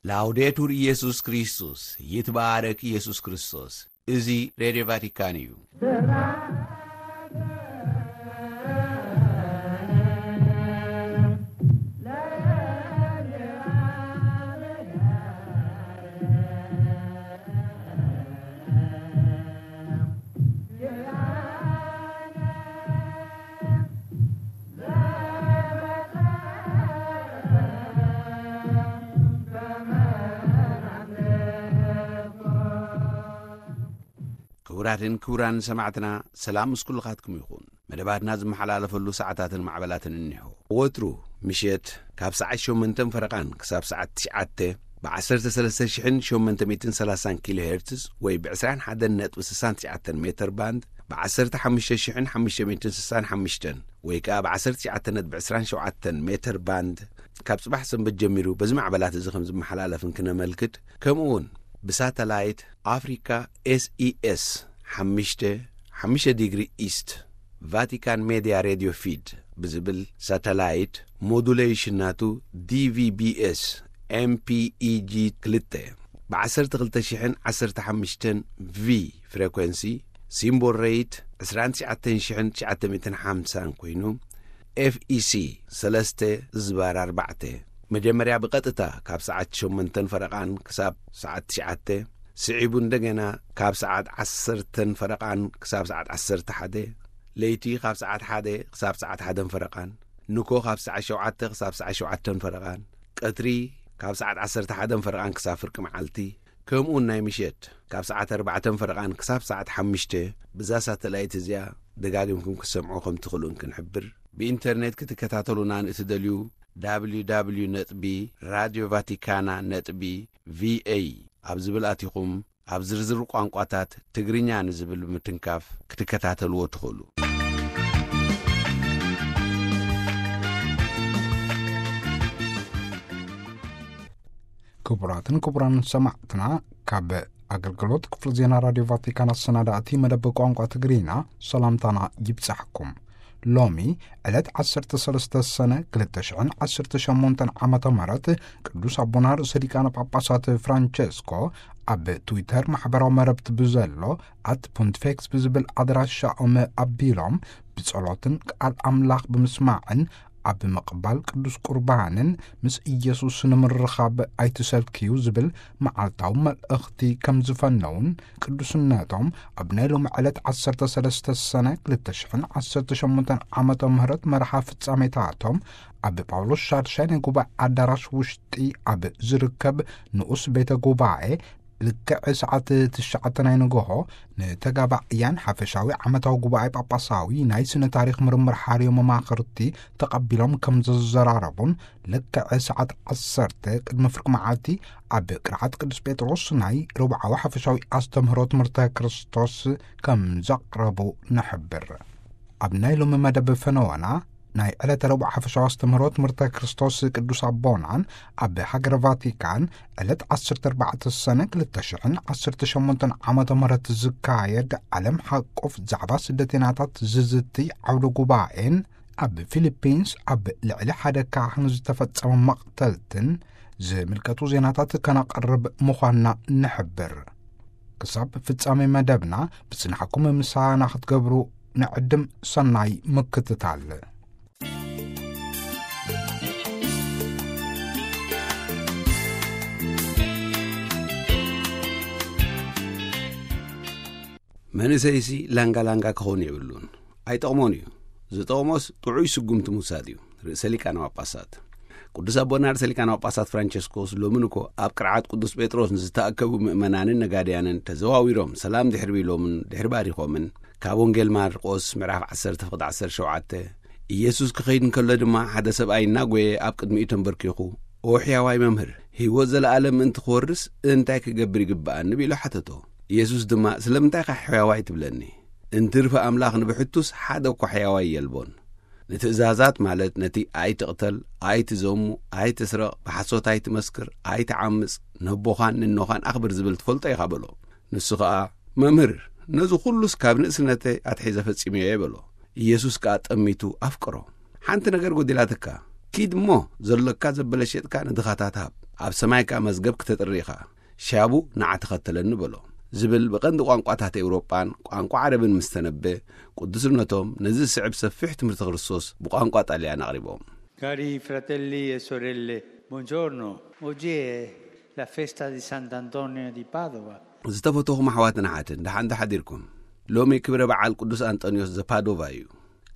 ላውዴቱር ኢየሱስ ክርስቶስ፣ ይትባረክ ኢየሱስ ክርስቶስ። እዚ ሬድዮ ቫቲካን እዩ። ክቡራትን ክቡራን ሰማዕትና፣ ሰላም ምስ ኩልኻትኩም ይኹን። መደባትና ዝመሓላለፈሉ ሰዓታትን ማዕበላትን እኒሆ። ወትሩ ምሸት ካብ ሰዓት ሸሞንተን ፈረቓን ክሳብ ሰዓት ትሽዓተ ብ ዓሰርተ ሰለስተ ሽሕን ሸሞንተ ሚእትን ሰላሳን ኪሎ ሄርትዝ ወይ ብ ዕስራን ሓደን ነጥቢ ስሳን ትሽዓተን ሜተር ባንድ፣ ብ ዓሰርተ ሓሙሽተ ሽሕን ሓሙሽተ ሚእትን ስሳን ሓሙሽተን ወይ ከኣ ብ ዓሰርተ ትሽዓተ ነጥቢ ዕስራን ሸውዓተን ሜተር ባንድ፣ ካብ ጽባሕ ሰንበት ጀሚሩ በዚ ማዕበላት እዚ ከም ዝመሓላለፍን ክነመልክት፣ ከምኡ እውን ብሳተላይት ኣፍሪካ ኤስኢኤስ ሓሙሽተ ሓሙሽተ ዲግሪ ኢስት ቫቲካን ሜድያ ሬድዮ ፊድ ብዝብል ሳተላይት ሞዱሌሽን ናቱ ዲቪቢኤስ ኤምፒኢጂ ክልተ ብ ዓሰርተ ክልተ ሽሕን ዓሰርተ ሓሙሽተን ቪ ፍሬኮንሲ፣ ሲምቦል ሬት ዕስራን ትሽዓተን ሽሕን ትሽዓተ ሚእትን ሓምሳን ኮይኑ፣ ኤፍኢሲ ሰለስተ ዝባር ኣርባዕተ፣ መጀመርያ ብቐጥታ ካብ ሰዓት ሸሞንተን ፈረቓን ክሳብ ሰዓት ትሽዓተ፣ ስዒቡ እንደገና ካብ ሰዓት ዓሰርተን ፈረቓን ክሳብ ሰዓት ዓሰርተ ሓደ፣ ለይቲ ካብ ሰዓት ሓደ ክሳብ ሰዓት ሓደን ፈረቓን፣ ንኮ ካብ ሰዓት ሸውዓተ ክሳብ ሰዓት ሸውዓተን ፈረቓን፣ ቀትሪ ካብ ሰዓት ዓሰርተ ሓደን ፈረቓን ክሳብ ፍርቂ መዓልቲ፣ ከምኡውን ናይ ምሸት ካብ ሰዓት ኣርባዕተን ፈረቓን ክሳብ ሰዓት ሓሙሽተ፣ ብዛ ሳተላይት እዚኣ ደጋጊምኩም ክትሰምዑ ከም ትኽእሉን ክንሕብር። ብኢንተርኔት ክትከታተሉና ንእትደልዩ፣ www ነጥቢ ራድዮ ቫቲካና ነጥቢ ቪኤ ኣብ ዝብል ኣቲኹም፣ ኣብ ዝርዝር ቋንቋታት ትግርኛ ንዝብል ብምትንካፍ ክትከታተልዎ ትኽእሉ። ክቡራትን ክቡራን ሰማዕትና፣ ካብ ኣገልግሎት ክፍሊ ዜና ራድዮ ቫቲካን ኣሰናዳእቲ መደብ ቋንቋ ትግርኛ ሰላምታና ይብጻሕኩም። ሎሚ ዕለት ዓሰርተ ሰለስተ ሰነ ክልተ ሽሕን ዓሰርተ ሸሞንተን ዓመተ ምህረት ቅዱስ ኣቦና ርእሰ ሊቃነ ጳጳሳት ፍራንቸስኮ ኣብ ትዊተር ማሕበራዊ መረብቲ ብዘሎ ኣት ፖንቲፌክስ ብዝብል ኣድራሻኦም ኣቢሎም ብጸሎትን ቃል ኣምላኽ ብምስማዕን ኣብ ምቕባል ቅዱስ ቁርባንን ምስ ኢየሱስ ንምርኻብ ኣይትሰልክዩ ዝብል መዓልታዊ መልእኽቲ ከም ዝፈነውን ቅዱስነቶም ኣብ ናይ ሎሚ ዕለት ዓሰርተ ሰለስተ ሰነ ክልተ ሽሕን ዓሰርተ ሸሞንተን ዓመተ ምህረት መርሓ ፍጻሜታቶም ኣብ ጳውሎስ ሻድሻይ ናይ ጉባኤ ኣዳራሽ ውሽጢ ኣብ ዝርከብ ንኡስ ቤተ ጉባኤ ልክዕ ሰዓት ትሽዓተ ናይ ንግሆ ንተጋባእያን ሓፈሻዊ ዓመታዊ ጉባኤ ጳጳሳዊ ናይ ስነ ታሪኽ ምርምር ሓርዮ መማኽርቲ ተቐቢሎም ከም ዘዘራረቡን ልክዕ ሰዓት ዓሰርተ ቅድሚ ፍርቂ መዓልቲ ኣብ ቅርዓት ቅዱስ ጴጥሮስ ናይ ረብዓዊ ሓፈሻዊ ኣስተምህሮ ትምህርተ ክርስቶስ ከም ዘቕረቡ ንሕብር። ኣብ ናይ ሎሚ መደብ ፈነወና ናይ ዕለተ ረቡዕ ሓፈሻዊ ኣስተምህሮ ትምህርተ ክርስቶስ ቅዱስ ኣቦናን ኣብ ሃገረ ቫቲካን ዕለት ዓሰርተ ኣርባዕተ ሰነ ክልተ ሽሕን ዓሰርተ ሸሞንተን ዓመተ ምህረት ዝካየድ ዓለም ሓቆፍ ዛዕባ ስደተኛታት ዝዝቲ ዓውደ ጉባኤን ኣብ ፊሊፒንስ ኣብ ልዕሊ ሓደ ካህን ዝተፈጸመ መቕተልትን ዝምልከቱ ዜናታት ከነቕርብ ምዃንና ንሕብር። ክሳብ ፍጻሜ መደብና ብጽንሓኩም ምሳና ክትገብሩ ንዕድም። ሰናይ ምክትታል። መንእሰይሲ ላንጋ ላንጋ ክኸውን የብሉን። ኣይጠቕሞን እዩ። ዝጠቕሞስ ጥዑይ ስጉምቲ ምውሳድ እዩ። ርእሰ ሊቃነ ጳጳሳት ቅዱስ ኣቦና ርእሰ ሊቃነ ጳጳሳት ፍራንቸስኮስ ሎምን እኮ ኣብ ቅርዓት ቅዱስ ጴጥሮስ ንዝተኣከቡ ምእመናንን ነጋድያንን ተዘዋዊሮም ሰላም ድሕሪ ኢሎምን ድሕሪ ባሪኾምን፣ ካብ ወንጌል ማርቆስ ምዕራፍ ዓሰርተ ፍቕዲ ዓሰርተ ሸውዓተ፣ ኢየሱስ ክኸይድ እንከሎ ድማ ሓደ ሰብኣይ እናጎየ ኣብ ቅድሚኡ ተንበርኪኹ፣ "ኦ ሕያዋይ መምህር፣ ህይወት ዘለኣለም ምእንቲ ክወርስ እንታይ ክገብር ይግብኣኒ?" ኢሉ ሓተቶ። ኢየሱስ ድማ፣ "ስለምንታይ ኢኻ ሕያዋይ ትብለኒ? እንትርፊ ኣምላኽ ንብሕቱስ ሓደ እኳ ሕያዋይ የልቦን። ንትእዛዛት ማለት ነቲ ኣይትቕተል፣ ኣይትዘሙ፣ ኣይትስረቕ፣ ብሓሶት ኣይትመስክር፣ ኣይትዓምጽ፣ ነቦኻን ንኖኻን ኣኽብር ዝብል ትፈልጦ ኢኻ" በሎ። ንሱ ኸኣ፣ "መምህር፣ ነዚ ኹሉስ ካብ ንእስነተይ ኣትሒዘ ፈጺመዮ" እየ በሎ። ኢየሱስ ከኣ ጠሚቱ፣ "ኣፍቅሮ። ሓንቲ ነገር ጐዲላትካ። ኪድ እሞ ዘሎካ ዘበለ ሸጥካ ንድኻታት ሃብ። ኣብ ሰማይ ከኣ መዝገብ ክተጥሪ ኢኻ። ሻቡ ንዓ ተኸተለኒ በሎ። ዝብል ብቐንዲ ቋንቋታት ኤውሮጳን ቋንቋ ዓረብን ምስ ተነበ፣ ቅዱስነቶም ነዚ ዝስዕብ ሰፊሕ ትምህርቲ ክርስቶስ ብቋንቋ ጣልያን ኣቕሪቦም። Cari fratelli e sorelle, buongiorno. Oggi è la festa di Sant'Antonio di Padova. ዝተፈተኹም ኣሕዋትን ኣሓትን፣ ደሓን ዶ ሓዲርኩም? ሎሚ ክብረ በዓል ቅዱስ ኣንጠንዮስ ዘፓዶቫ እዩ።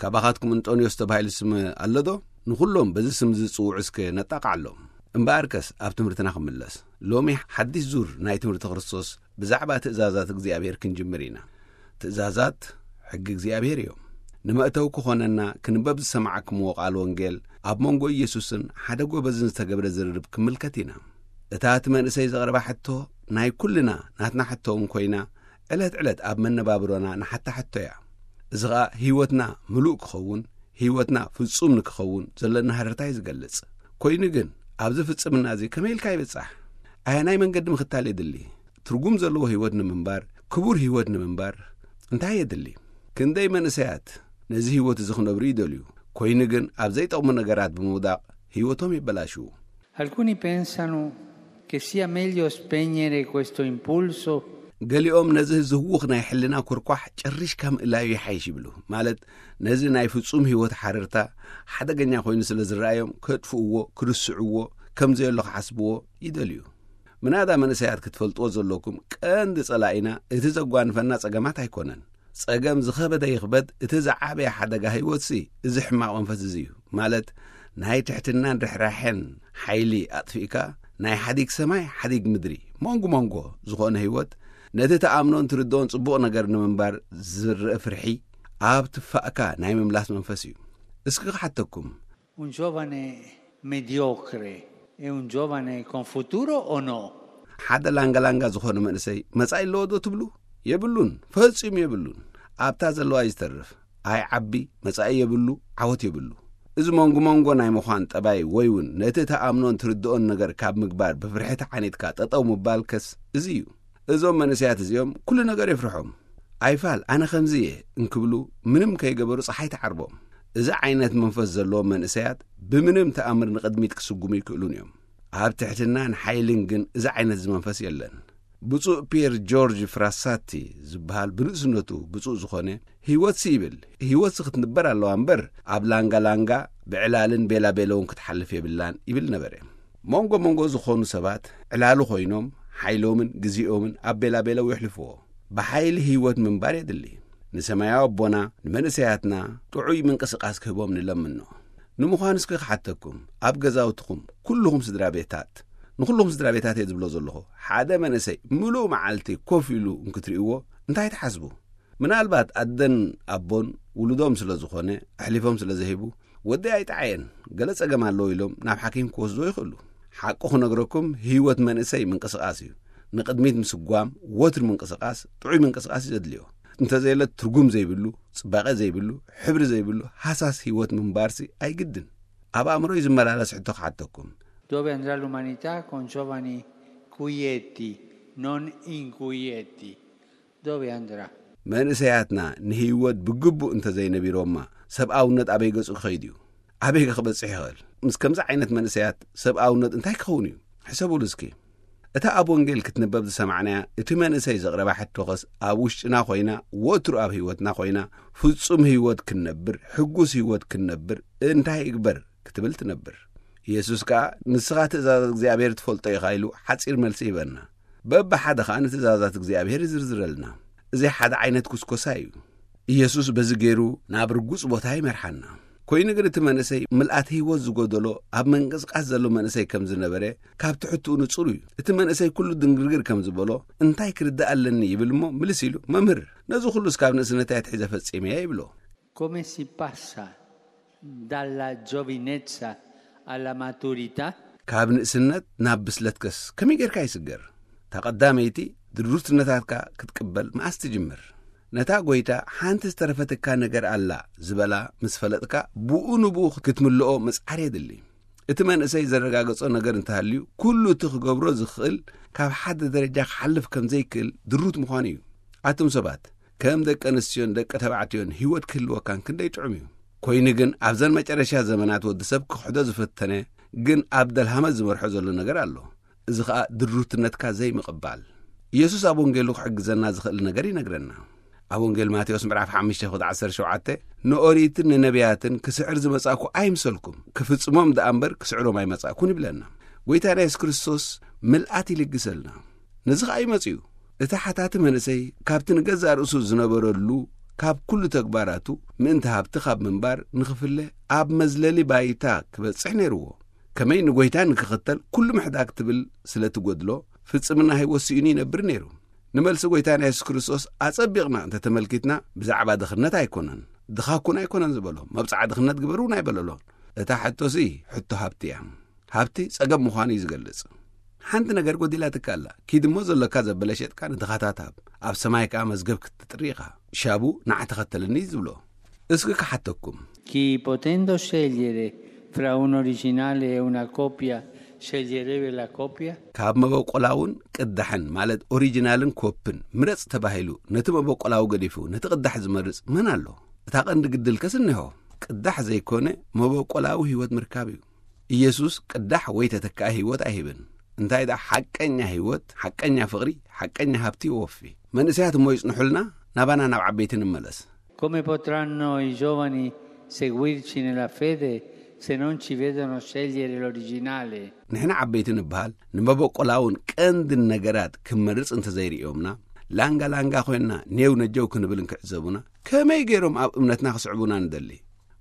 ካባኻትኩም እንጠንዮስ ተባሂሉ ስም ኣሎ ዶ? ንኹሎም በዚ ስም ዝጽውዑ እስከ ነጣቕዓሎም። እምበኣርከስ ኣብ ትምህርትና ክምለስ። ሎሚ ሓድሽ ዙር ናይ ትምህርቲ ክርስቶስ ብዛዕባ ትእዛዛት እግዚኣብሔር ክንጅምር ኢና። ትእዛዛት ሕጊ እግዚኣብሔር እዮም። ንመእተዊ ክኾነና ክንበብ ዝሰማዕክምዎ ቃል ወንጌል ኣብ መንጎ ኢየሱስን ሓደ ጎበዝን ዝተገብረ ዝርርብ ክምልከት ኢና። እታ እቲ መንእሰይ ዘቕረባ ሕቶ ናይ ኩልና ናትና ሕቶ እውን ኮይና፣ ዕለት ዕለት ኣብ መነባብሮና ንሓታ ሕቶ እያ። እዚ ኸኣ ህይወትና ምሉእ ክኸውን፣ ህይወትና ፍጹም ንክኸውን ዘለና ሃረርታ እዩ ዝገልጽ። ኮይኑ ግን ኣብዚ ፍጽምና እዚ ከመይ ኢልካ ይብጻሕ? ኣየናይ መንገዲ ምኽታል የድሊ? ትርጉም ዘለዎ ህይወት ንምንባር፣ ክቡር ህይወት ንምንባር እንታይ የድሊ? ክንደይ መንእሰያት ነዚ ህይወት እዚ ክነብሩ ይደልዩ፣ ኮይኑ ግን ኣብ ዘይጠቕሙ ነገራት ብምውዳቕ ህይወቶም የበላሽዉ። Alcuni pensano che sia meglio spegnere questo impulso. ገሊኦም ነዚ ዝህውኽ ናይ ሕልና ኩርኳሕ ጨሪሽካ ምእላዩ ይሓይሽ ይብሉ። ማለት ነዚ ናይ ፍጹም ህይወት ሓረርታ ሓደገኛ ኮይኑ ስለ ዝረኣዮም ከጥፍእዎ፣ ክርስዕዎ፣ ከም ዘየሎ ክሓስብዎ ይደልዩ። ምናዳ መንእሰያት ክትፈልጥዎ ዘለኩም ቀንዲ ጸላኢና እቲ ዘጓንፈና ጸገማት ኣይኮነን። ጸገም ዝኸበደ ይኽበድ፣ እቲ ዝዓበየ ሓደጋ ህይወትሲ እዚ ሕማቕ መንፈስ እዚ እዩ። ማለት ናይ ትሕትናን ርሕራሐን ሓይሊ ኣጥፊእካ ናይ ሓዲግ ሰማይ ሓዲግ ምድሪ መንጉ መንጎ ዝኾነ ህይወት ነቲ ተኣምኖን ትርድኦን ጽቡቕ ነገር ንምንባር ዝረአ ፍርሒ ኣብ ትፋእካ ናይ ምምላስ መንፈስ እዩ። እስኪ ክሓተኩም። Un giovane mediocre e un giovane con futuro o no? ሓደ ላንጋላንጋ ዝኾነ መንእሰይ መጻኢ ኣለዎ ዶ ትብሉ? የብሉን፣ ፈጺሙ የብሉን። ኣብታ ዘለዋ እዩ ዝተርፍ። ኣይ ዓቢ መጻኢ የብሉ፣ ዓወት የብሉ። እዚ መንጎ መንጎ ናይ ምዃን ጠባይ ወይ እውን ነቲ ተኣምኖን ትርድኦን ነገር ካብ ምግባር ብፍርሒ ተዓኒትካ ጠጠው ምባል ከስ እዚ እዩ። እዞም መንእሰያት እዚኦም ኩሉ ነገር የፍርሖም። ኣይፋል ኣነ ከምዚ እየ እንክብሉ ምንም ከይገበሩ ጸሓይ ትዓርቦም። እዚ ዓይነት መንፈስ ዘለዎም መንእሰያት ብምንም ተኣምር ንቕድሚት ክስጉሙ ይክእሉን እዮም። ኣብ ትሕትናን ሓይልን ግን እዚ ዓይነት እዚ መንፈስ የለን። ብፁዕ ፒየር ጆርጅ ፍራሳቲ ዝበሃል ብንእስነቱ ብፁዕ ዝኾነ ህይወትሲ ይብል፣ ህይወትሲ ክትንበር ኣለዋ እምበር ኣብ ላንጋ ላንጋ ብዕላልን ቤላ ቤለውን ክትሓልፍ የብላን ይብል ነበረ። መንጎ መንጎ ዝኾኑ ሰባት ዕላሉ ኮይኖም ሓይሎምን ግዜኦምን ኣብ ቤላ ቤለው የሕልፍዎ። ብሓይሊ ህይወት ምንባር የድሊ። ንሰማያዊ ኣቦና ንመንእሰያትና ጥዑይ ምንቅስቃስ ክህቦም ንለምኖ። ንምዃኑ እስኪ ክሓተኩም፣ ኣብ ገዛውትኹም ኩልኹም ስድራ ቤታት፣ ንኹልኹም ስድራ ቤታት እየ ዝብሎ ዘለኹ፣ ሓደ መንእሰይ ምሉእ መዓልቲ ኮፍ ኢሉ እንክትርእይዎ እንታይ ትሓስቡ? ምናልባት ኣደን ኣቦን ውሉዶም ስለ ዝኾነ ኣሕሊፎም ስለ ዝህቡ፣ ወደይ ኣይጠዓየን፣ ገለ ጸገም ኣለዎ ኢሎም ናብ ሓኪም ክወስድዎ ይኽእሉ። ሓቂ ክነግረኩም፣ ህይወት መንእሰይ ምንቅስቃስ እዩ። ንቕድሚት ምስጓም፣ ወትሪ ምንቅስቃስ፣ ጥዑይ ምንቅስቃስ እዩ ዘድልዮ። እንተዘየለ ትርጉም ዘይብሉ፣ ጽባቐ ዘይብሉ፣ ሕብሪ ዘይብሉ ሃሳስ ህይወት ምንባርሲ ኣይግድን። ኣብ ኣእምሮይ ዝመላለስ ሕቶ ክሓተኩም። Dove andrà l'umanità con giovani quieti, non inquieti? Dove andrà? መንእሰያትና ንህይወት ብግቡእ እንተዘይነቢሮማ ሰብኣውነት ኣበይ ገጹ ክኸይድ እዩ? ኣበይ ከ ክበጽሕ ይኽእል? ምስ ከምዚ ዓይነት መንእሰያት ሰብኣውነት እንታይ ክኸውን እዩ? ሕሰቡሉ እስኪ። እታ ኣብ ወንጌል ክትንበብ ዝሰማዕናያ እቲ መንእሰይ ዘቕረባ ሕቶኸስ ኣብ ውሽጥና ኮይና፣ ወትሩ ኣብ ህይወትና ኮይና፣ ፍጹም ህይወት ክንነብር፣ ሕጉስ ህይወት ክንነብር እንታይ እግበር ክትብል ትነብር። ኢየሱስ ከኣ ንስኻ ትእዛዛት እግዚኣብሔር ትፈልጦ ኢኻ ኢሉ ሓጺር መልሲ ይበና። በብሓደ ኸኣ ንትእዛዛት እግዚኣብሔር ይዝርዝረልና። እዚ ሓደ ዓይነት ኩስኮሳ እዩ። ኢየሱስ በዚ ገይሩ ናብ ርጉጽ ቦታ ይመርሓና። ኮይኑ ግን እቲ መንእሰይ ምልኣት ህይወት ዝጎደሎ ኣብ መንቅስቃስ ዘሎ መንእሰይ ከም ዝነበረ ካብ ትሕትኡ ንጹር እዩ። እቲ መንእሰይ ኩሉ ድንግርግር ከም ዝበሎ እንታይ ክርዳእ ኣለኒ ይብል እሞ ምልስ ኢሉ መምህር ነዚ ኩሉስ ካብ ንእስነተይ ኣትሒዘ ፈጺመ እየ ይብሎ። Come si passa dalla giovinezza alla maturità? ካብ ንእስነት ናብ ብስለትከስ ከመይ ጌርካ ይስገር? እታ ቀዳመይቲ ድሩትነታትካ ክትቅበል መኣስ ትጅምር? ነታ ጎይታ ሓንቲ ዝተረፈትካ ነገር ኣላ ዝበላ ምስ ፈለጥካ ብኡ ንብኡ ክትምልኦ ምጽዓር የድሊ። እቲ መንእሰይ ዘረጋገጾ ነገር እንተሃልዩ ኩሉ እቲ ክገብሮ ዝኽእል ካብ ሓደ ደረጃ ክሓልፍ ከም ዘይክእል ድሩት ምዃኑ እዩ። ኣቱም ሰባት ከም ደቂ ኣንስትዮን ደቂ ተባዕትዮን ህይወት ክህልወካን ክንደይ ጥዑም እዩ። ኮይኑ ግን ኣብዘን መጨረሻ ዘመናት ወዲ ሰብ ክኽሕዶ ዝፈተነ ግን ኣብ ደልሃመት ዝመርሖ ዘሎ ነገር ኣሎ። እዚ ኸኣ ድሩትነትካ ዘይምቕባል። ኢየሱስ ኣብ ወንጌሉ ክሕግዘና ዝኽእል ነገር ይነግረና። ኣብ ወንጌል ማቴዎስ ምዕራፍ ሓሙሽተ ቁጥሪ ዓሰርተ ሸውዓተ፣ "ንኦሪትን ንነቢያትን ክስዕር ዝመጻእኩ ኣይምሰልኩም፣ ክፍጽሞም ደኣ እምበር ክስዕሮም ኣይመጻእኩን" ይብለና። ጐይታና የሱስ ክርስቶስ ምልኣት ይልግሰልና። ነዚ ኸኣ እዩ መጺኡ። እቲ ሓታቲ መንእሰይ ካብቲ ንገዛእ ርእሱ ዝነበረሉ፣ ካብ ኩሉ ተግባራቱ ምእንቲ ሃብቲ ካብ ምንባር ንኽፍለ ኣብ መዝለሊ ባይታ ክበጽሕ ነይርዎ። ከመይ ንጐይታ ንክኽተል ኩሉ ምሕዳግ ትብል ስለ ትጎድሎ፣ ፍጽምና ህይወት ስኢኑ ይነብር ነይሩ። ንመልሲ ጐይታና የሱስ ክርስቶስ ኣጸቢቕና እንተ ተመልኪትና፣ ብዛዕባ ድኽነት ኣይኮነን፣ ድኻ ኩን ኣይኮነን ዝበሎ፣ መብጽዓ ድኽነት ግበር እውን ኣይበለሎን። እታ ሕቶሲ ሕቶ ሃብቲ እያ። ሃብቲ ጸገም ምዃኑ እዩ ዝገልጽ። ሓንቲ ነገር ጎዲላትካ ኣላ። ኪድ እሞ ዘሎካ ዘበለ ሸጥካ ንድኻታት ሃብ፣ ኣብ ሰማይ ከኣ መዝገብ ክትጥሪ ኢኻ። ሻቡ ንዓ ተኸተለኒ ዝብሎ። እስኪ ክሓተኩም። Chi potendo scegliere fra un originale e una copia, sceglierebbe la copia? ካብ መበቆላውን ቅዳሕን፣ ማለት ኦሪጂናልን ኮፕን ምረጽ ተባሂሉ፣ ነቲ መበቆላዊ ገዲፉ ነቲ ቅዳሕ ዝመርጽ መን ኣሎ? እታ ቀንዲ ግድልከስ እነሆ፣ ቅዳሕ ዘይኮነ መበቆላዊ ህይወት ምርካብ እዩ። ኢየሱስ ቅዳሕ ወይ ተተካኢ ህይወት ኣይህብን። እንታይ ደኣ ሓቀኛ ህይወት፣ ሓቀኛ ፍቕሪ፣ ሓቀኛ ሃብቲ ይወፊ። መንእሰያት እሞ ይጽንሑልና፣ ናባና ናብ ዓበይቲ ንመለስ። Come potranno i giovani seguirci nella fede se non ci vedono scegliere l'originale? ንሕና ዓበይቲ ንበሃል፣ ንመበቆላውን ቀንድን ነገራት ክንመርጽ እንተዘይርእዮምና፣ ላንጋ ላንጋ ኮይንና ኔው ነጀው ክንብል እንክዕዘቡና፣ ከመይ ገይሮም ኣብ እምነትና ክስዕቡና ንደሊ?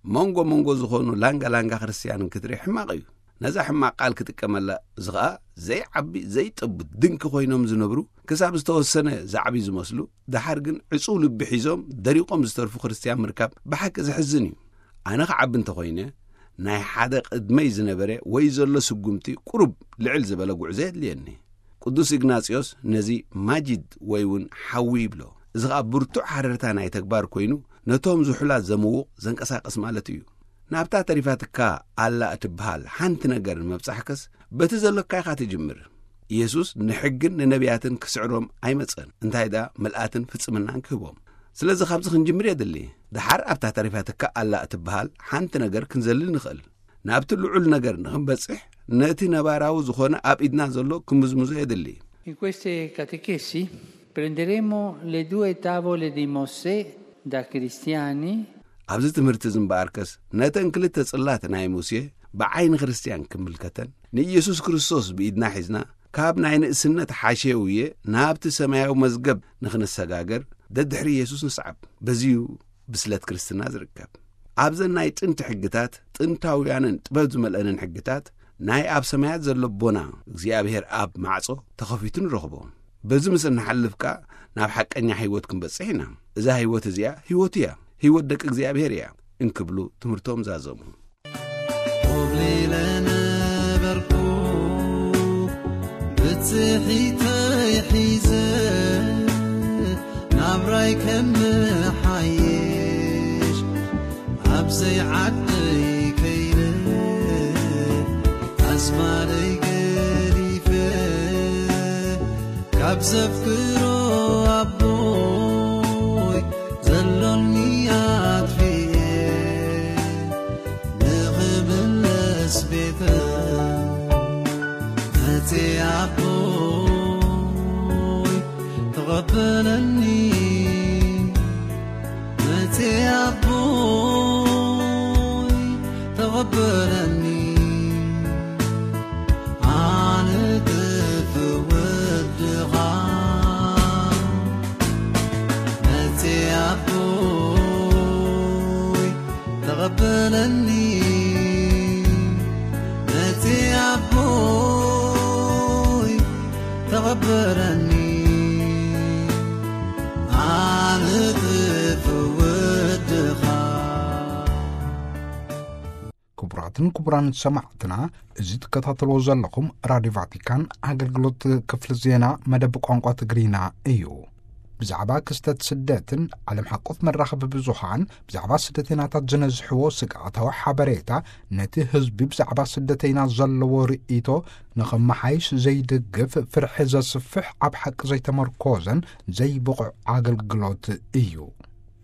መንጎ መንጎ ዝኾኑ ላንጋ ላንጋ ክርስትያን እንክትርኢ ሕማቕ እዩ። ነዛ ሕማቕ ቃል ክጥቀመላ፣ እዚ ኸኣ ዘይዓቢ ዘይጠቡ ድንኪ ኮይኖም ዝነብሩ፣ ክሳብ ዝተወሰነ ዝዓብዩ ዝመስሉ፣ ደሓር ግን ዕጹው ልቢ ሒዞም ደሪቖም ዝተርፉ ክርስትያን ምርካብ ብሓቂ ዘሕዝን እዩ። ኣነ ክዓቢ እንተኾይነ፣ ናይ ሓደ ቅድመይ ዝነበረ ወይ ዘሎ ስጉምቲ ቁሩብ ልዕል ዝበለ ጉዕዞ የድልየኒ። ቅዱስ ኢግናጽዮስ ነዚ ማጂድ ወይ እውን ሓዊ ይብሎ። እዚ ኸኣ ብርቱዕ ሃረርታ ናይ ተግባር ኮይኑ፣ ነቶም ዝሑላት ዘምውቕ፣ ዘንቀሳቕስ ማለት እዩ። ናብታ ተሪፋትካ ኣላ እትበሃል ሓንቲ ነገር ንምብጻሕከስ፣ በቲ ዘሎካ ኢኻ ትጅምር። ኢየሱስ ንሕግን ንነቢያትን ክስዕሮም ኣይመጸን፣ እንታይ ደኣ ምልኣትን ፍጽምናን ክህቦም። ስለዚ ካብዚ ክንጅምር የድሊ። ደሓር ኣብታ ተሪፋትካ ኣላ እትበሃል ሓንቲ ነገር ክንዘልል ንኽእል። ናብቲ ልዑል ነገር ንኽንበጽሕ፣ ነቲ ነባራዊ ዝኾነ ኣብ ኢድና ዘሎ ክምዝምዞ የድሊ። In queste catechesi prenderemo le due tavole di Mosè da cristiani. ኣብዚ ትምህርቲ እዚ እምበኣርከስ፣ ነተን ክልተ ጽላት ናይ ሙሴ ብዓይኒ ክርስትያን ክምልከተን፣ ንኢየሱስ ክርስቶስ ብኢድና ሒዝና፣ ካብ ናይ ንእስነት ሓሸውየ ናብቲ ሰማያዊ መዝገብ ንኽንሰጋገር፣ ደድሕሪ ኢየሱስ ንስዓብ። በዚዩ ብስለት ክርስትና ዝርከብ። ኣብዘን ናይ ጥንቲ ሕግታት፣ ጥንታውያንን ጥበብ ዝመልአንን ሕግታት፣ ናይ ኣብ ሰማያት ዘሎ ኣቦና እግዚኣብሔር ኣብ ማዕጾ ተኸፊቱ ንረኽቦ። በዚ ምስ እንሓልፍ ከኣ ናብ ሓቀኛ ህይወት ክንበጽሕ ኢና። እዛ ህይወት እዚኣ ህይወቱ እያ። ህይወት ደቂ እግዚኣብሔር እያ እንክብሉ ትምህርቶም ዛዘሙ። ኮብሊለ ነበርኩ ብጽሒተይ ሒዘ ናብራይ ከመሓይሽ ኣብ ዘይዓደይ ከይነ ኣስማረይ ገዲፈ ካብ ዘፍቅሮ ኣቦይ ዘሎኒ ኣጥፊኤ ንኽምለስ ቤተ መጽ ኣቦይ ተቐበለኒ። መጽ ኣቦይ ተቐበለኒ። ኣነ ጥፍ ወድኻ መጽ ኣቦይ ተቐበለኒ። መጽ ኣቦይ ተቐበለኒ። ኣነ ጥፍ ወድኻ። ክቡራትን ክቡራን ሰማዕትና፣ እዚ ትከታተልዎ ዘለኹም ራድዮ ቫቲካን ኣገልግሎት ክፍሊ ዜና መደብ ቋንቋ ትግርኛ እዩ። ብዛዕባ ክስተት ስደትን ዓለም ሓቆፍ መራኸቢ ብዙሃን ብዛዕባ ስደተይናታት ዝነዝሕዎ ስግኣታዊ ሓበሬታ፣ ነቲ ህዝቢ ብዛዕባ ስደተይና ዘለዎ ርእይቶ ንኸመሓይሽ ዘይድግፍ፣ ፍርሒ ዘስፍሕ፣ ኣብ ሓቂ ዘይተመርኮዘን ዘይብቑዕ ኣገልግሎት እዩ።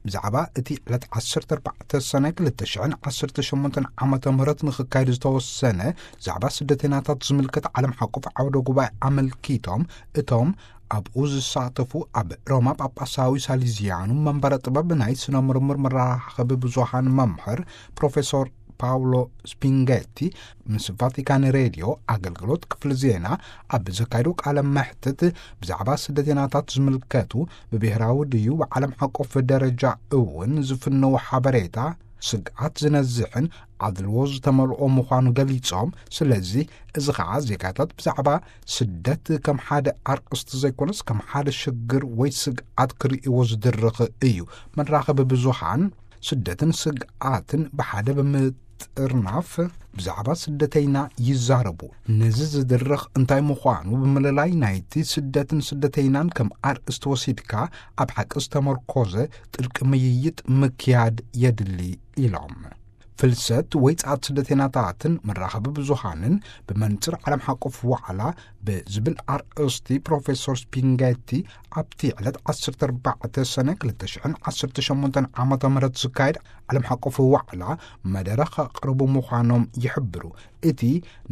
ብዛዕባ እቲ ዕለት ዓሰርተ ኣርባዕተ ሰነ ክልተ ሽሕን ዓሰርተ ሸሞንተን ዓመተ ምህረት ንኽካየድ ዝተወሰነ ዛዕባ ስደተይናታት ዝምልከት ዓለም ሓቆፍ ዓውደ ጉባኤ ኣመልኪቶም፣ እቶም ኣብኡ ዝሳተፉ ኣብ ሮማ ጳጳሳዊ ሳሊዚያኑ መንበረ ጥበብ ናይ ስነ ምርምር መራኸቢ ብዙሃን መምህር ፕሮፌሶር ፓውሎ ስፒንጌቲ ምስ ቫቲካን ሬድዮ ኣገልግሎት ክፍሊ ዜና ኣብ ዘካየዱ ቃለ መሕትት፣ ብዛዕባ ስደተይናታት ዝምልከቱ ብብሔራዊ ድዩ ብዓለም ሓቆፍ ደረጃ እውን ዝፍነው ሓበሬታ ስግኣት ዝነዝሕን ኣድልዎ ዝተመልኦ ምዃኑ ገሊጾም፣ ስለዚ እዚ ኸዓ ዜጋታት ብዛዕባ ስደት ከም ሓደ ኣርእስቲ ዘይኮነስ ከም ሓደ ሽግር ወይ ስግኣት ክርእይዎ ዝድርኽ እዩ። መራኸቢ ብዙሃን ስደትን ስግኣትን ብሓደ ብምጥርናፍ ብዛዕባ ስደተይና ይዛረቡ። ነዚ ዝድርኽ እንታይ ምዃኑ ብምልላይ ናይቲ ስደትን ስደተይናን ከም ኣርእስቲ ወሲድካ ኣብ ሓቂ ዝተመርኮዘ ጥልቂ ምይይጥ ምክያድ የድሊ ኢሎም። ፍልሰት ወይ ጻት ስደተይናታትን መራኸቢ ብዙሃንን ብመንጽር ዓለም ሓቆፍ ዋዕላ ብዝብል ኣርእስቲ ፕሮፌሶር ስፒንጌቲ ኣብቲ ዕለት ዓሰርተ ኣርባዕተ ሰነ ክልተ ሽሕን ዓሰርተ ሸሞንተን ዓመተ ምህረት ዝካየድ ዓለም ሓቆፍ ዋዕላ መደረ ከቕርቡ ምዃኖም ይሕብሩ። እቲ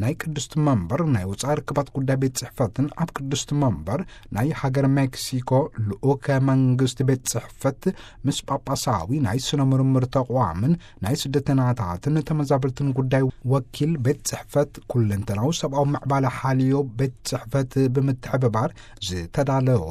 ናይ ቅድስቲ መንበር ናይ ወጻኢ ርክባት ጉዳይ ቤት ጽሕፈትን ኣብ ቅድስቲ መንበር ናይ ሃገር ሜክሲኮ ልኡከ መንግስቲ ቤት ጽሕፈት ምስ ጳጳሳዊ ናይ ስነ ምርምር ተቋምን ናይ ስደተናታትን ተመዛበልትን ጉዳይ ወኪል ቤት ጽሕፈት ኩለንተናዊ ሰብኣዊ ምዕባለ ሓልዮ ቤት ጽሕፈት ብምትሕብባር ዝተዳለወ፣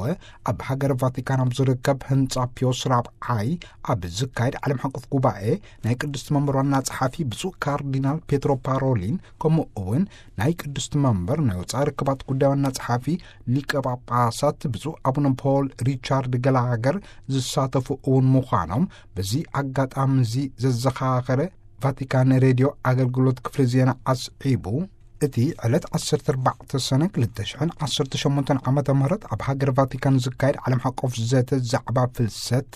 ኣብ ሃገር ቫቲካን ኣብ ዝርከብ ህንጻ ፒዮስ ራብዓይ ኣብ ዝካየድ ዓለም ሓቆፍ ጉባኤ ናይ ቅድስቲ መንበር ዋና ጸሓፊ ብፁዕ ካርዲናል ፔትሮ ፓሮሊን፣ ከምኡ እውን ናይ ቅድስቲ መንበር ናይ ወጻኢ ርክባት ጉዳይ ዋና ጸሓፊ ሊቀ ጳጳሳት ብፁዕ ኣቡነ ፖል ሪቻርድ ገላገር ዝሳተፉ እውን ምዃኖም በዚ ኣጋጣሚ እዚ ዘዘኻኸረ ቫቲካን ሬድዮ ኣገልግሎት ክፍሊ ዜና ኣስዒቡ፣ እቲ ዕለት ዓሰርተ ኣርባዕተ ሰነ ክልተ ሽሕን ዓሰርተ ሸሞንተን ዓመተ ምህረት ኣብ ሃገር ቫቲካን ዝካየድ ዓለም ሓቆፍ ዘተ ዛዕባ ፍልሰት፣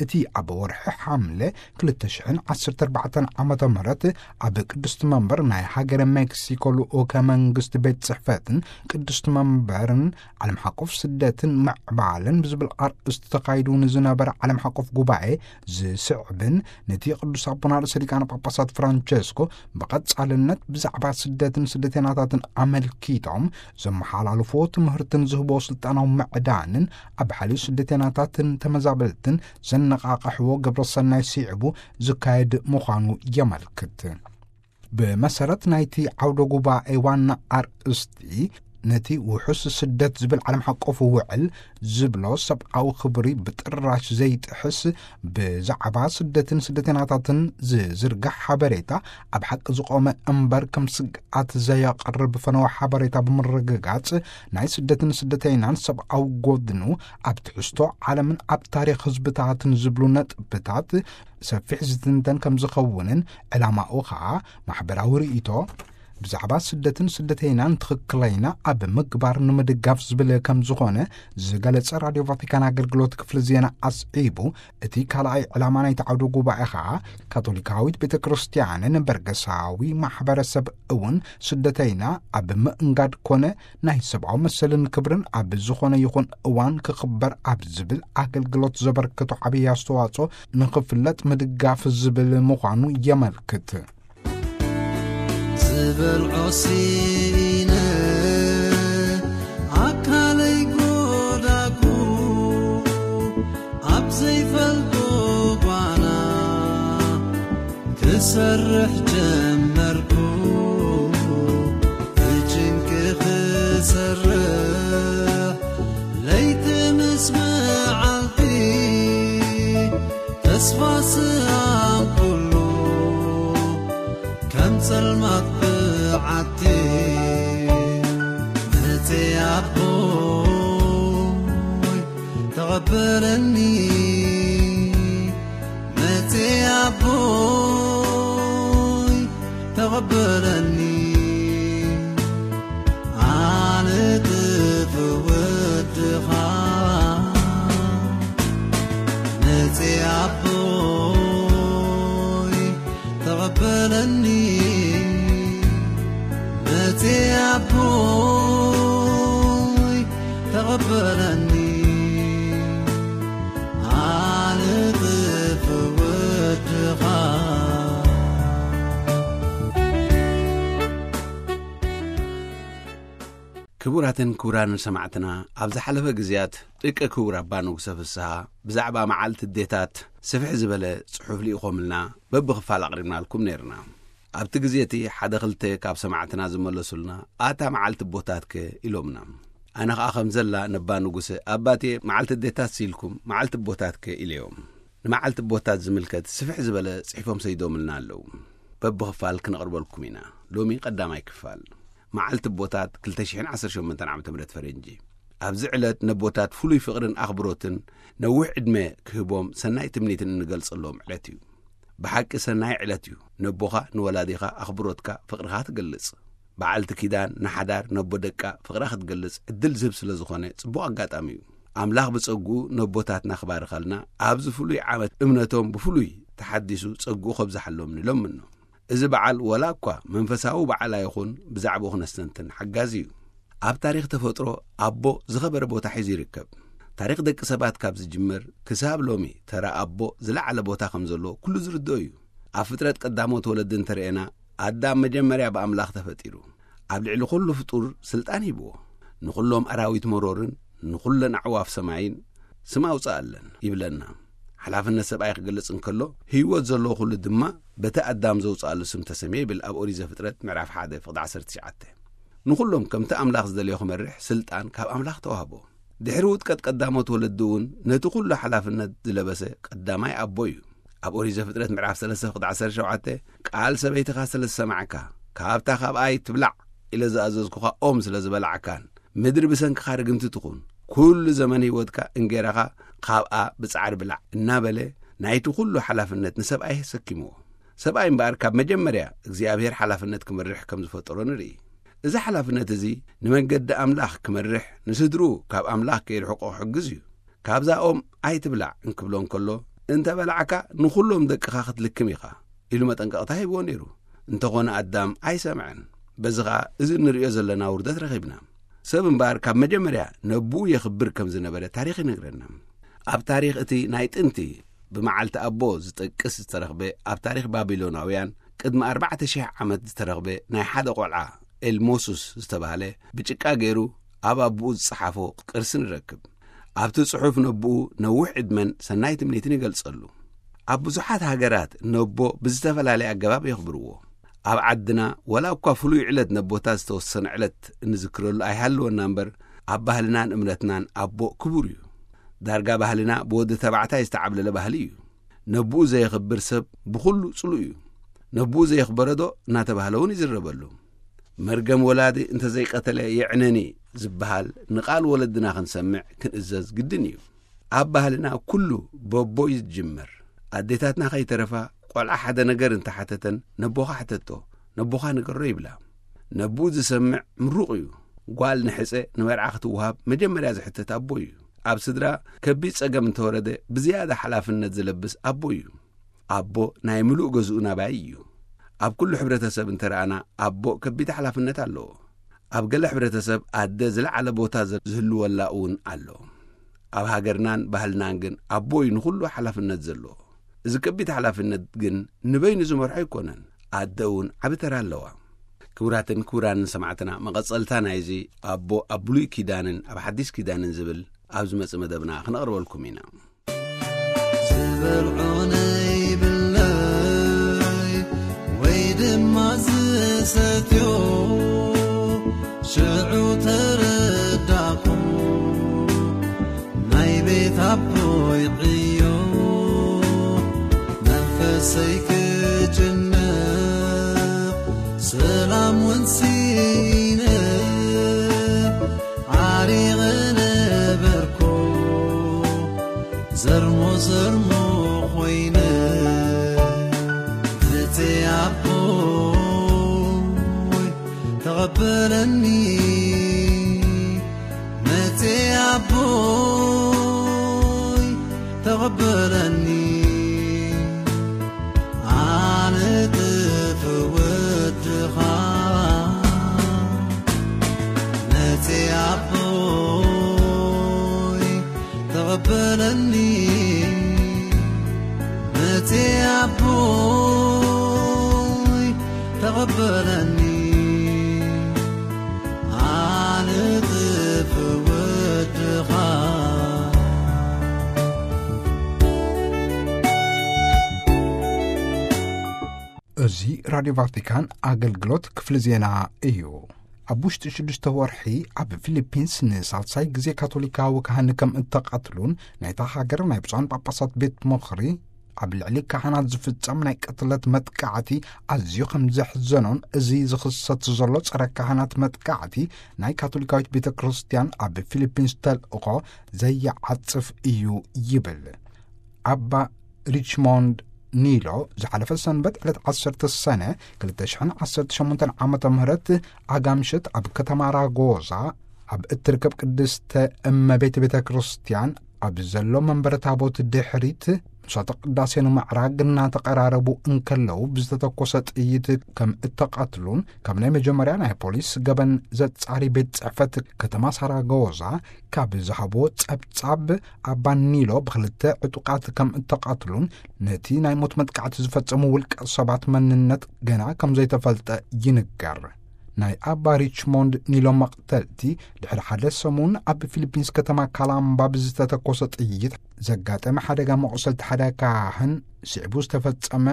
እቲ ኣብ ወርሒ ሓምለ ክልተ ሽሕን ዓሰርተ ኣርባዕተን ዓመተ ምህረት ኣብ ቅድስቲ መንበር ናይ ሃገረ ሜክሲኮ ልኡከ መንግስቲ ቤት ጽሕፈትን ቅድስቲ መንበርን ዓለም ሓቆፍ ስደትን ምዕባለን ብዝብል ኣርእስቲ ተኻይዱ ንዝነበረ ዓለም ሓቆፍ ጉባኤ ዝስዕብን፣ ነቲ ቅዱስ ኣቦና ርእሰ ሊቃነ ጳጳሳት ፍራንቸስኮ ብቐጻልነት ብዛዕባ ስደትን ስደተይናታትን ኣመልኪቶም ዘመሓላልፎ ትምህርትን ዝህቦ ስልጣናዊ ምዕዳንን ኣብ ሓልዩ ስደተይናታትን ተመዛበልትን ዘነቓቕሕዎ ግብረ ሰናይ ስዒቡ ዝካየድ ምዃኑ የመልክት። ብመሰረት ናይቲ ዓውደ ጉባኤ ዋና ኣርእስቲ፣ ነቲ ውሑስ ስደት ዝብል ዓለም ሓቆፍ ውዕል ዝብሎ ሰብኣዊ ክብሪ ብጥራሽ ዘይጥሕስ ብዛዕባ ስደትን ስደተይናታትን ዝዝርጋሕ ሓበሬታ ኣብ ሓቂ ዝቖመ እምበር ከም ስግኣት ዘየቕርብ ፈነወ ሓበሬታ ብምርግጋጽ፣ ናይ ስደትን ስደተይናን ሰብኣዊ ጎድኑ ኣብ ትሕዝቶ ዓለምን ኣብ ታሪኽ ህዝብታትን ዝብሉ ነጥብታት ሰፊሕ ዝትንተን ከም ዝኸውንን፣ ዕላማኡ ኸኣ ማሕበራዊ ርእይቶ ብዛዕባ ስደትን ስደተይናን ትኽክለይና ኣብ ምግባር ንምድጋፍ ዝብል ከም ዝኾነ ዝገለጸ ራድዮ ቫቲካን ኣገልግሎት ክፍሊ ዜና ኣስዒቡ፣ እቲ ካልኣይ ዕላማ ናይቲ ዓውደ ጉባኤ ኸኣ ካቶሊካዊት ቤተ ክርስቲያንን በርገሳዊ ማሕበረሰብ እውን ስደተይና ኣብ ምእንጋድ ኮነ ናይ ሰብኣዊ መሰልን ክብርን ኣብ ዝኾነ ይኹን እዋን ክኽበር ኣብ ዝብል ኣገልግሎት ዘበርከቶ ዓብዪ ኣስተዋጽኦ ንኽፍለጥ ምድጋፍ ዝብል ምዃኑ የመልክት። ዝበልዖ ሲኢነ ኣካለይ ጎዳጉ፣ ኣብ ዘይፈልጦ ጓና ክሰርሕ ጀመርኩ። ብጭንቂ ክሰርሕ ለይቲ ምስ መዓልቲ፣ ተስፋ ስኣንኩሉ ከም ጸልማት ብዓቲ። መጽ ኣቦይ ተቐበለኒ፣ መጽ ኣቦይ ተቐበለኒ። ኣነ ጥፉእ ወድኻ መጽ ኣቦይ ተቐበለኒ፣ መጽ ኣቦይ ተቐበለኒ። ኣነ ጥፉእ ክቡራትን ክቡራንን ሰማዕትና፣ ኣብ ዝሓለፈ ግዜያት ደቂ ክቡር ኣባ ንጉሰ ፍስሃ ብዛዕባ መዓልቲ ኣዴታት ስፍሕ ዝበለ ጽሑፍ ልኢኾምልና በብኽፋል ኣቕሪብናልኩም ነይርና። ኣብቲ ግዜ እቲ ሓደ ክልተ ካብ ሰማዕትና ዝመለሱልና፣ "ኣታ መዓልቲ ኣቦታትከ?" ኢሎምና። ኣነ ኸኣ ከም ዘላ ነባ ንጉሰ፣ "ኣባቴ፣ መዓልቲ ኣዴታት ሲልኩም መዓልቲ ኣቦታትከ?" ኢለዮም። ንመዓልቲ ኣቦታት ዝምልከት ስፍሕ ዝበለ ጽሒፎም ሰይዶምልና ኣለዉ። በብኽፋል ክነቕርበልኩም ኢና። ሎሚ ቀዳማይ ክፋል። መዓልቲ ኣቦታት ክልተ ሽሕን ዓሰርተ ሸሞንተን ዓመተ ምህረት ፈረንጂ። ኣብዚ ዕለት ነቦታት ፍሉይ ፍቕርን ኣኽብሮትን ነዊሕ ዕድመ ክህቦም ሰናይ ትምኒትን እንገልጸሎም ዕለት እዩ። ብሓቂ ሰናይ ዕለት እዩ። ነቦኻ ንወላዲኻ ኣኽብሮትካ፣ ፍቕርኻ ትገልጽ። በዓልቲ ኪዳን ንሓዳር ነቦ ደቃ ፍቕራ ክትገልጽ ዕድል ዝህብ ስለ ዝኾነ ጽቡቕ ኣጋጣሚ እዩ። ኣምላኽ ብጸግኡ ነቦታትና ክባርኸልና ኣብዚ ፍሉይ ዓመት እምነቶም ብፍሉይ ተሓዲሱ ጸግኡ ከብዝሓሎም ንለምኖ። እዚ በዓል ወላ እኳ መንፈሳዊ በዓል ኣይኹን፣ ብዛዕባኡ ክነስተንትን ሓጋዚ እዩ። ኣብ ታሪኽ ተፈጥሮ ኣቦ ዝኸበረ ቦታ ሒዙ ይርከብ። ታሪኽ ደቂ ሰባት ካብ ዝጅምር ክሳብ ሎሚ ተራ ኣቦ ዝለዓለ ቦታ ከም ዘሎ ኩሉ ዝርድኦ እዩ። ኣብ ፍጥረት ቀዳሞት ወለዲ እንተረኤና፣ ኣዳም መጀመርያ ብኣምላኽ ተፈጢሩ። ኣብ ልዕሊ ኩሉ ፍጡር ስልጣን ሂብዎ። "ንኹሎም ኣራዊት መሮርን ንኹለን ኣዕዋፍ ሰማይን ስም ኣውጽኣለን" ይብለና። ሓላፍነት ሰብኣይ ክገልጽ እንከሎ፣ ህይወት ዘለዎ ኩሉ ድማ በቲ ኣዳም ዘውጽኣሉ ስም ተሰምየ ይብል ኣብ ኦሪት ዘፍጥረት ምዕራፍ ሓደ ፍቕዲ ዓሰርተ ትሽዓተ። ንኹሎም ከምቲ ኣምላኽ ዝደልዮ ክመርሕ ስልጣን ካብ ኣምላኽ ተዋህቦ። ድሕሪ ውድቀት ቀዳሞት ወለዲ እውን ነቲ ኩሉ ሓላፍነት ዝለበሰ ቀዳማይ ኣቦ እዩ። ኣብ ኦሪት ዘፍጥረት ምዕራፍ ሰለስተ ፍቕዲ ዓሰርተ ሸውዓተ፣ "ቃል ሰበይትኻ ስለ ዝሰማዕካ፣ ካብታ ካብኣይ ትብላዕ ኢለ ዝኣዘዝኩኻ ኦም ስለ ዝበላዕካን፣ ምድሪ ብሰንክኻ ርግምቲ ትኹን፣ ኩሉ ዘመን ህይወትካ እንጌራኻ ካብኣ ብጻዕሪ ብላዕ" እናበለ ናይቲ ኩሉ ሓላፍነት ንሰብኣይ ኣሰኪምዎ። ሰብኣይ እምበኣር ካብ መጀመርያ እግዚኣብሔር ሓላፍነት ክመርሕ ከም ዝፈጠሮ ንርኢ። እዚ ሓላፍነት እዚ ንመንገዲ ኣምላኽ ክመርሕ፣ ንስድርኡ ካብ ኣምላኽ ከይርሕቆ ክሕግዝ እዩ። "ካብዛ ኦም ኣይትብላዕ" እንክብሎ እንከሎ፣ "እንተ በላዕካ ንኹሎም ደቅኻ ክትልክም ኢኻ" ኢሉ መጠንቀቕታ ሂብዎ ነይሩ። እንተኾነ ኣዳም ኣይሰምዐን። በዚ ኸኣ እዚ እንርእዮ ዘለና ውርደት ረኺብና። ሰብ እምበኣር ካብ መጀመርያ ነብኡ የኽብር ከም ዝነበረ ታሪኽ ይነግረና። ኣብ ታሪኽ እቲ ናይ ጥንቲ ብመዓልቲ ኣቦ ዝጠቅስ ዝተረኽበ፣ ኣብ ታሪኽ ባቢሎናውያን ቅድሚ ኣርባዕተ ሽሕ ዓመት ዝተረኽበ ናይ ሓደ ቆልዓ ኤልሞሱስ ዝተባህለ ብጭቃ ገይሩ ኣብ ኣቦኡ ዝጸሓፎ ቅርሲ ንረክብ። ኣብቲ ጽሑፍ ነቦኡ ነዊሕ ዕድመን ሰናይ ትምኒትን ይገልጸሉ። ኣብ ብዙሓት ሃገራት ነቦ ብዝተፈላለየ ኣገባብ የኽብርዎ። ኣብ ዓድና ወላ እኳ ፍሉይ ዕለት ነቦታት ዝተወሰነ ዕለት እንዝክረሉ ኣይሃልወና እምበር፣ ኣብ ባህልናን እምነትናን ኣቦ ክቡር እዩ። ዳርጋ ባህልና ብወዲ ተባዕታይ ዝተዓብለለ ባህሊ እዩ። ነቦኡ ዘየኽብር ሰብ ብኹሉ ጽሉእ እዩ። ነቦኡ ዘየኽበረዶ እናተባህለ እውን ይዝረበሉ። "መርገም ወላዲ እንተዘይቀተለ የዕነኒ" ዝበሃል ንቓል ወለድና ክንሰምዕ ክንእዘዝ ግድን እዩ። ኣብ ባህልና ኩሉ በቦ እዩ ዝጅመር። ኣዴታትና ከይተረፋ ቆልዓ ሓደ ነገር እንተሓተተን "ነቦኻ ሕተቶ፣ ነቦኻ ንገሮ" ይብላ። ነብኡ ዝሰምዕ ምሩቕ እዩ። ጓል ንሕጸ ንመርዓ ክትወሃብ መጀመርያ ዝሕተት ኣቦ እዩ። ኣብ ስድራ ከቢድ ጸገም እንተወረደ ብዝያዳ ሓላፍነት ዝለብስ ኣቦ እዩ። ኣቦ ናይ ምሉእ ገዝኡ ናባይ እዩ። ኣብ ኩሉ ሕብረተሰብ እንተረኣና ኣቦ ከቢድ ሓላፍነት ኣለዎ። ኣብ ገለ ሕብረተሰብ ኣደ ዝለዓለ ቦታ ዘ-፣ ዝህልወላ እውን ኣሎ። ኣብ ሃገርናን ባህልናን ግን ኣቦ እዩ ንኹሉ ሓላፍነት ዘለዎ። እዚ ከቢድ ሓላፍነት ግን ንበይኑ ዝመርሖ ኣይኮነን። ኣደ እውን ዓቢ ተራ ኣለዋ። ክቡራትን ክቡራንን ሰማዕትና፣ መቐጸልታ ናይዚ ኣቦ ኣብ ብሉይ ኪዳንን ኣብ ሓዲስ ኪዳንን ዝብል ኣብ ዝመጽእ መደብና ክነቕርበልኩም ኢና። ዝበልዖ ነይብለይ ወይ ድማ ዝሰትዮ፣ ሽዑ ተረዳኹ ናይ ቤት ኣቦይ ዕዮ። መንፈሰይ ክጭነቕ ሰላም እውን ስኢነ ዓሪቐ ነበርኩ። ዘርሞ ዘርሞ ኮይነ፣ መጽ ኣቦይ ተቐበለኒ። መጽ ኣቦይ ተቐበለኒ። ኣነ ጥፍ ወድኻ መጽ ኣቦይ ተቐበለኒ። መጽ ኣቦይ ተቐበለኒ። ኣነ ራዲዮ ቫቲካን ኣገልግሎት ክፍሊ ዜና እዩ። ኣብ ውሽጢ ሽዱሽተ ወርሒ ኣብ ፊሊፒንስ ንሳልሳይ ግዜ ካቶሊካዊ ካህን ከም እተቐትሉን ናይታ ሃገር ናይ ብፁዓን ጳጳሳት ቤት ምኽሪ ኣብ ልዕሊ ካህናት ዝፍጸም ናይ ቅትለት መጥቃዕቲ ኣዝዩ ከም ዘሕዘኖን፣ እዚ ዝኽሰት ዘሎ ጸረ ካህናት መጥቃዕቲ ናይ ካቶሊካዊት ቤተ ክርስቲያን ኣብ ፊሊፒንስ ተልእኾ ዘየዓጽፍ እዩ ይብል። ኣባ ሪችሞንድ ኒሎ ዝሓለፈ ሰንበት ዕለት ዓሰርተ ሰነ ክልተ ሽሕን ዓሰርተ ሸሞንተን ዓመተ ምህረት ኣጋምሸት ኣብ ከተማ ራጎዛ ኣብ እትርከብ ቅድስተ እመቤት ቤተ ክርስቲያን ኣብ ዘሎ መንበረ ታቦት ድሕሪት ምሳተ ቅዳሴ ንምዕራግ እናተቐራረቡ እንከለዉ ብዝተተኮሰ ጥይት ከም እተቐትሉን፣ ካብ ናይ መጀመርያ ናይ ፖሊስ ገበን ዘጻሪ ቤት ጽሕፈት ከተማ ሳራጎዛ ካብ ዝሃቦ ጸብጻብ፣ ኣባ ኒሎ ብኽልተ ዕጡቓት ከም እተቐትሉን ነቲ ናይ ሞት መጥቃዕቲ ዝፈጸሙ ውልቀ ሰባት መንነት ገና ከም ዘይተፈልጠ ይንገር። ናይ ኣባ ሪችሞንድ ኒሎ መቕተልቲ ድሕሪ ሓደ ሰሙን ኣብ ፊሊፒንስ ከተማ ካላምባ ብዝተተኮሰ ጥይት ዘጋጠመ ሓደጋ መቑሰልቲ ሓደ ካህን ስዒቡ ዝተፈጸመ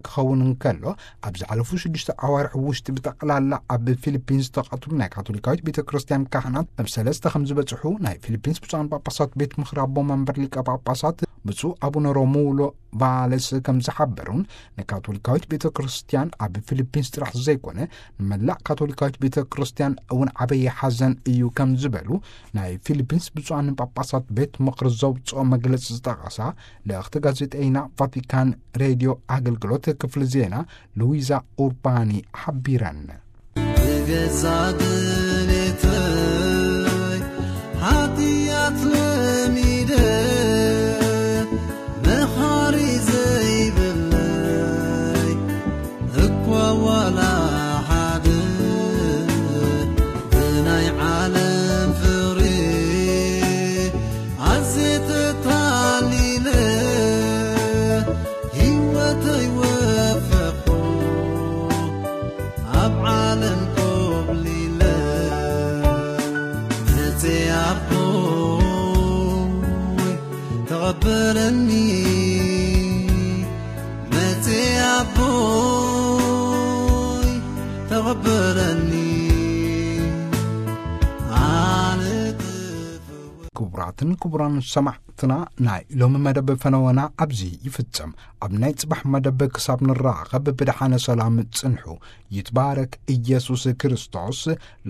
ክኸውን እንከሎ፣ ኣብ ዝሓለፉ ሽዱሽተ ኣዋርሕ ውሽጢ ብጠቕላላ ኣብ ፊሊፒንስ ዝተቐትሉ ናይ ካቶሊካዊት ቤተ ክርስቲያን ካህናት ኣብ ሰለስተ ከም ዝበጽሑ ናይ ፊሊፒንስ ብፁዓን ጳጳሳት ቤት ምኽሪ ኣቦ መንበር ሊቀ ጳጳሳት ብፁዕ ኣቡነ ሮሙሎ ቫለስ ከም ዝሓበሩን፣ ንካቶሊካዊት ቤተ ክርስቲያን ኣብ ፊሊፒንስ ጥራሕ ዘይኮነ ንመላእ ካቶሊካዊት ቤተ ክርስቲያን እውን ዓበየ ሓዘን እዩ ከም ዝበሉ ናይ ፊሊፒንስ ብፁዓን ጳጳሳት ቤት ምኽሪ ዘውፅኦ መግለጺ ዝጠቐሳ ልእኽቲ ጋዜጠይና ቫቲካን ሬድዮ ኣገልግሎት ክፍሊ ዜና ሉዊዛ ኡርባኒ ሓቢረን። ብገዛ ድሌተይ ሓጢኣት ለሚደ መኻሪ ዘይብለይ እኳ ዋላ ሓደ ብናይ ዓለም ፍቕሪ ኣዝየ ተታሊለ ህይወተይ ወፈኹ ኣብ ዓለም ኮብሊለ መጽ ኣቦይ ተቐበለኒ መጽ ኣቦይ ተቐበለኒ ኣነ ክቡራትን ክቡራን ሰማዕትና፣ ናይ ሎሚ መደብ ፈነወና ኣብዚ ይፍጸም። ኣብ ናይ ጽባሕ መደብ ክሳብ ንራኸብ ብደሓነ ሰላም ጽንሑ። ይትባረክ ኢየሱስ ክርስቶስ።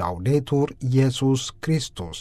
ላውዴቱር ኢየሱስ ክርስቶስ።